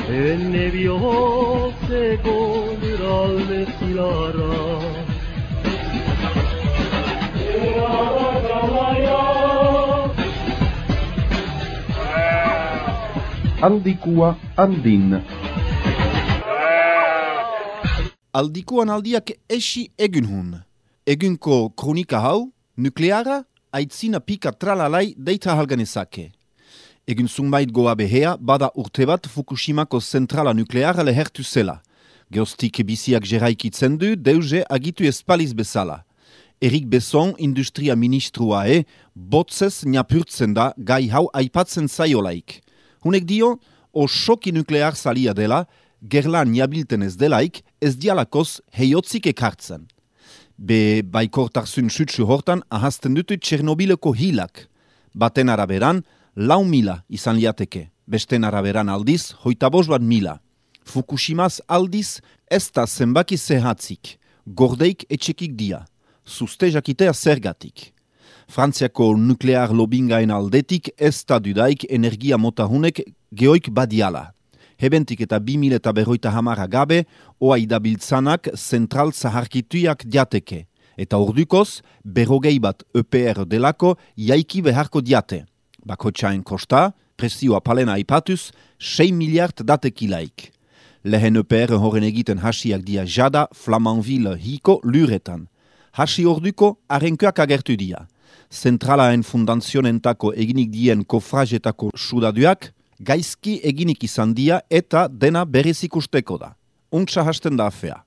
Enne bihoteko gralde zilara Aldikua andin. Aldikuan aldiak esi egunhun. Egunko kronika hau, nukleara, aitzina pika tralalai deita halganezake. Egun zunbait goa behea, bada urte bat Fukushimako zentrala nukleara lehertu zela. Geostik biziak jeraikitzen du, deuze agitu espaliz bezala. Erik Besson, industria ministrua botzez niapurtzen da gai hau aipatzen zaiolaik. Hunek dio, osoki nuklear salia dela, gerlan niabilten ez delaik, ez dialakoz heiotzik ekartzen. Be baikortarzun sutsu hortan ahazten dutu Txernobileko hilak. Baten araberan, 4.000 izan liateke. Besten araberan aldiz, 25.000. Fukushimaz aldiz, ez da zenbaki zehatzik. Gordeik etxekik dia. Zuzte jakitea zergatik. Frantziako nuklear lobingaen aldetik ez da dudaik energia motahunek geoik badiala. Hebentik eta 2050 gabe, oa idabiltzanak zentral zaharkituak diateke. Eta ordukoz, 40 bat EPR delako jaiki beharko diate. Bakotxaen kosta, presioa palena aipatuz, 6 miliard datekilaik. Lehen EPR horren egiten hasiak dia jada Flamanville hiko luretan. Hasi orduko arenkoak agertu dia. Zentralaen fundazionentako eginik dien kofrajetako sudaduak, gaizki eginik izan dia eta dena berriz ikusteko da. Untsa hasten da afea.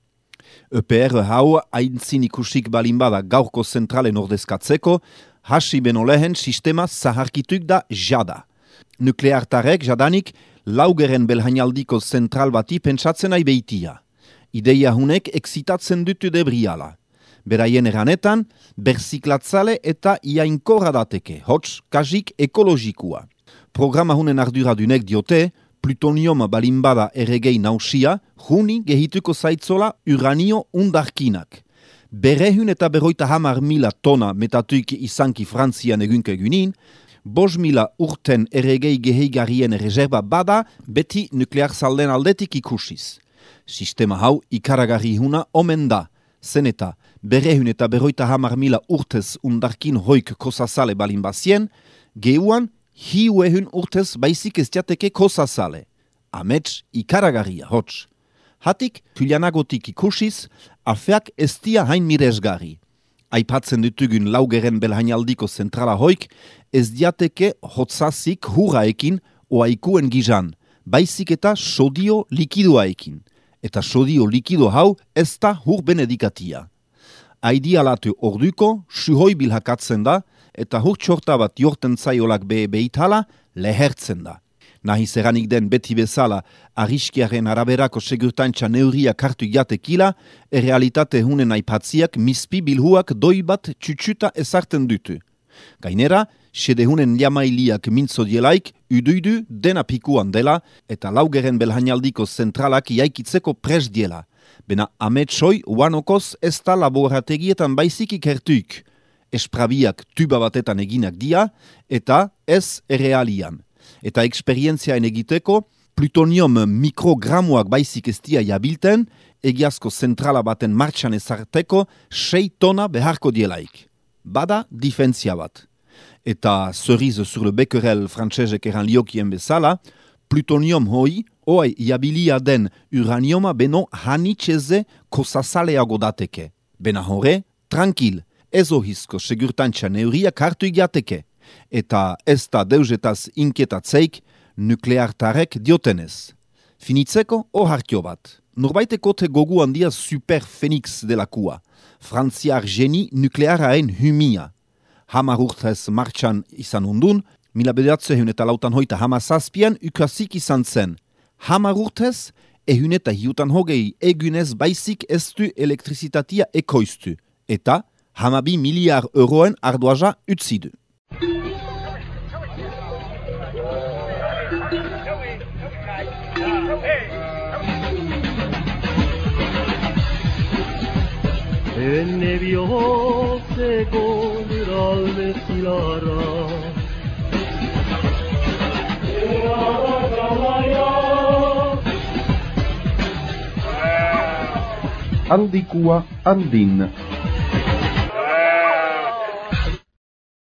EPR hau aintzin ikusik balin bada gaurko zentralen ordezkatzeko, hasi beno lehen sistema zaharkituk da jada. Nukleartarek jadanik laugeren belhainaldiko zentral bati pentsatzen nahi beitia. Ideia hunek exitatzen dutu debriala. Beraien eranetan, berziklatzale eta iainkorra dateke, hots kasik ekologikua. Programa hunen arduradunek diote, plutonium balimbada erregei nausia, juni gehituko zaitzola uranio undarkinak. 250.000 tona metatuik izanki Frantzian egunke egunin, 5.000 urten erregei geheigarrien reserva bada beti nuklear zalden aldetik ikusiz. Sistema hau ikaragarri huna omen da, zen eta 250.000 urtez undarkin hoik kosazale balin bazien, geuan hiuehun urtez baizik ez diateke kosazale. Amets ikaragarria, hots. Hatik, tulianagotik ikusiz, afeak ez dia hain miresgarri. Aipatzen dutugun laugeren belhainaldiko zentrala hoik, ez diateke hotzazik hurraekin oaikuen gizan, baizik eta sodio likidoaekin. Eta sodio likido hau ez da hur benedikatia. Aidialatu orduko, suhoi bilhakatzen da, eta hur txorta bat jorten zaiolak beitala, lehertzen da. Nahiz eranik den beti bezala, arriskiaren araberako segurtantza neurriak hartu jatekila, errealitate hunen aipatziak mispi bilhuak doi bat txutxuta ezarten dutu. Gainera, sede hunen liamailiak mintzo dielaik, uduidu dena pikuan dela, eta laugeren belhainaldiko zentralak jaikitzeko pres diela. Bena ametsoi uanokoz ez da laborategietan baizik ikertuik. Esprabiak tuba batetan eginak dia, eta ez errealian. Eta eksperientziaen egiteko, plutonium mikrogramuak baizik ez dia jabilten, egiazko zentrala baten martxan ezarteko 6 tona beharko dielaik. Bada difentzia bat. Eta cerise sur le becquerel frantsesek eran liokien bezala, plutonium hoi, oai jabilia den uranioma beno hanitxeze kosazaleago dateke. Bena hore, tranquil, ez ohizko segurtantza neuriak hartu igiateke. Eta ez da deuzetaz inketatzeik nukleartarek diotenez. Finitzeko ohartio bat. Norbaiteko te gogu handia super Phoenix delakua. Frantziar geni nuklearaen humia. 10 urtez martxan izan undun, 1957 ukasik izan zen. 10 urtez, ehun eta hiutan hogei egunez baizik ez du elektrizitatia ekoiztu. Eta 12 miliar euroen ardoaja utzidu. enne bihotzeko lurralde zilarra. Handikua handin.